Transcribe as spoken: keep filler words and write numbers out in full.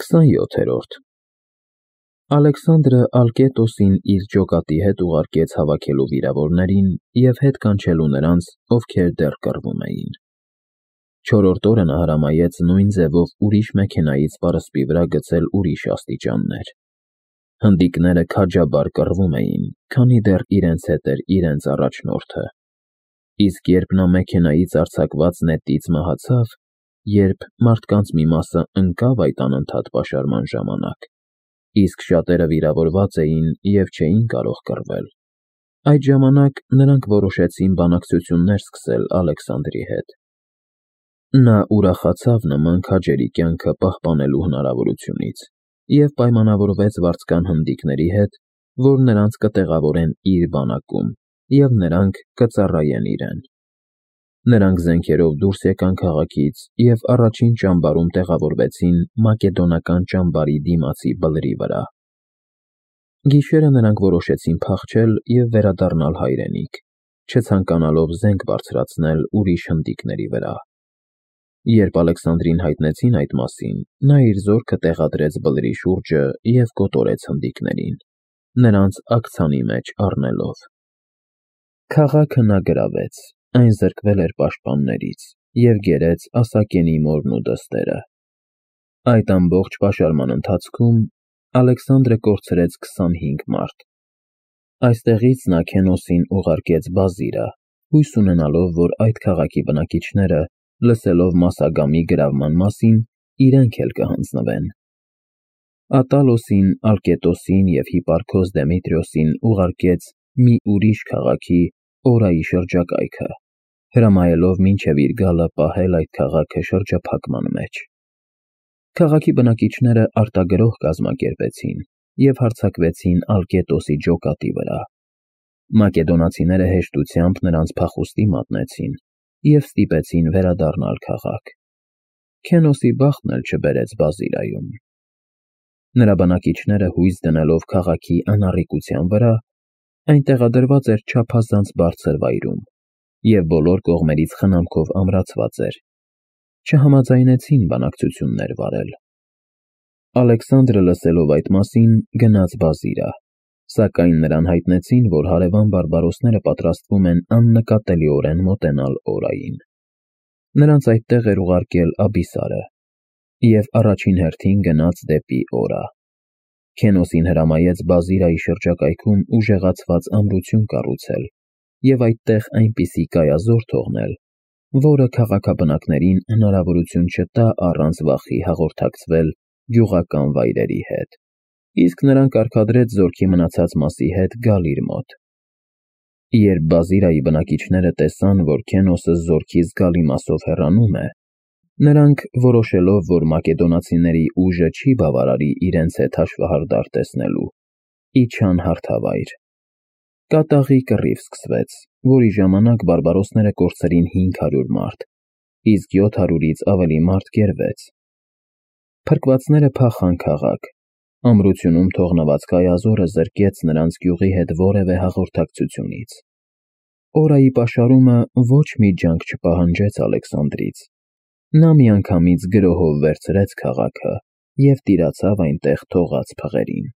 քսանյոթերորդ Ալեքսանդրը Ալկետոսին իր ջոկատի հետ ուղարկեց հավաքելու վիրավորներին և հետ կանչելու նրանց, ովքեր դեռ կռվում էին։ Չորրորդ օրը նա հրամայեց նույն ձևով ուրիշ մեքենայից պարսպի վրա գցել ուրիշ աստիճաններ։ Հնդիկները քաջաբար կռվում էին, քանի դեռ իրենց հետ էր իրենց առաջնորդը։ Իսկ երբ նա մեքենայից արձակված նետից մահացավ, երբ մարդկանց մի մասը ընկավ այդ անընդհատ պաշարման ժամանակ, իսկ շատերը վիրավորված էին և չէին կարող կռվել, այդ ժամանակ նրանք որոշեցին բանակցություններ սկսել Ալեքսանդրի հետ։ Նա ուրախացավ նման քաջերի կյանքը պահպանելու հնարավորությունից և պայմանավորվեց վարձկան հնդիկների հետ, որ նրանց կտեղավորեն իր բանակում և նրանք կծառայեն իրեն։ Նրանք զենքերով դուրս եկան քաղաքից և առաջին ճամբարում տեղավորվեցին մակեդոնական ճամբարի դիմացի բլրի վրա։ Գիշերը նրանք որոշեցին փախչել և վերադառնալ հայրենիք, չցանկանալով զենք բարձրացնել ուրիշ հնդիկների վրա։ Երբ Ալեքսանդրին հայտնեցին այդ մասին, նա իր զորքը տեղադրեց բլրի շուրջը և կոտորեց հնդիկներին, նրանց աքցանի մեջ առնելով։ Քաղաքը նա գրավեց, այն զրկվել էր պաշտպաններից և գերեց Ասակենի մորն ու դստերը։ Այդ ամբողջ պաշարման ընթացքում Ալեքսանդրը կորցրեց քսանհինգ մարդ։ Այստեղից նա Քենոսին ուղարկեց Բազիրա, հույս ունենալով, որ այդ քաղաքի բնակիչները, լսելով Մասագամի գրավման մասին, իրենք էլ կհանձնվեն։ Ատալոսին, Ալկետոսին և Հիպարքոս Դեմիտրիոսին ուղարկեց մի ուրիշ քաղաքի՝ Օրայի շրջակայքը, հրամայելով մինչև իր գալը պահել այդ քաղաքը շրջափակման մեջ։ Քաղաքի բնակիչները արտագրոհ կազմակերպեցին և հարձակվեցին Ալկետոսի ջոկատի վրա։ Մակեդոնացիները հեշտությամբ նրանց փախուստի մատնեցին և ստիպեցին վերադառնալ քաղաք։ Քենոսի բախտն էլ չբերեց Բազիրայում։ Նրա բնակիչները հույս դնելով քաղաքի անառիկության վրա, այն տեղադրված էր չափազանց բարձր վայրում և բոլոր կողմերից խնամքով ամրացված էր, չհամաձայնեցին բանակցություններ վարել։ Ալեքսանդրը լսելով այդ մասին, գնաց Բազիրա, սակայն նրան հայտնեցին, որ հարևան բարբարոսները պատրաստվում են աննկատելիորեն մոտենալ Օրային։ Նրանց այդտեղ էր ուղարկել Աբիսարը և առաջին հերթին գնաց դեպի Օրա։ Քենոսին հրամայեց Բազիրայի շրջակայքում ուժեղացված ամրություն կառուցել և այդտեղ այնպիսի կայազոր թողնել, որը քաղաքաբնակներին հնարավորություն չտա առանց վախի հաղորդակցվել գյուղական վայրերի հետ, իսկ նրան կարգադրեց զորքի մնացած մասի հետ գալ իր մոտ։ Երբ Բազիրայի բնակիչները տեսան, որ Քենոսը զորքի զգալի մասով հեռանում է, նրանք, որոշելով, որ մակեդոնացիների ուժը չի բավարարի իրենց հետ հաշվեհարդար տեսնելու, իջան հարթավայր։ Կատաղի կռիվ սկսվեց, որի ժամանակ բարբարոսները կորցրին հինգ հարյուր մարդ, իսկ յոթ հարյուրից ավելի մարդ գերվեց։ Փրկվածները փախան քաղաք։ Ամրությունում թողնված կայազորը զրկեց նրանց գյուղի հետ որևէ հաղորդակցությունից։ Օրայի պաշարումը ոչ մի ջանք չպահանջեց Ալեքսանդրից։ Նա միանգամից գրոհով վերցրեց քաղաքը և տիրացավ այնտեղ թողած փղերին։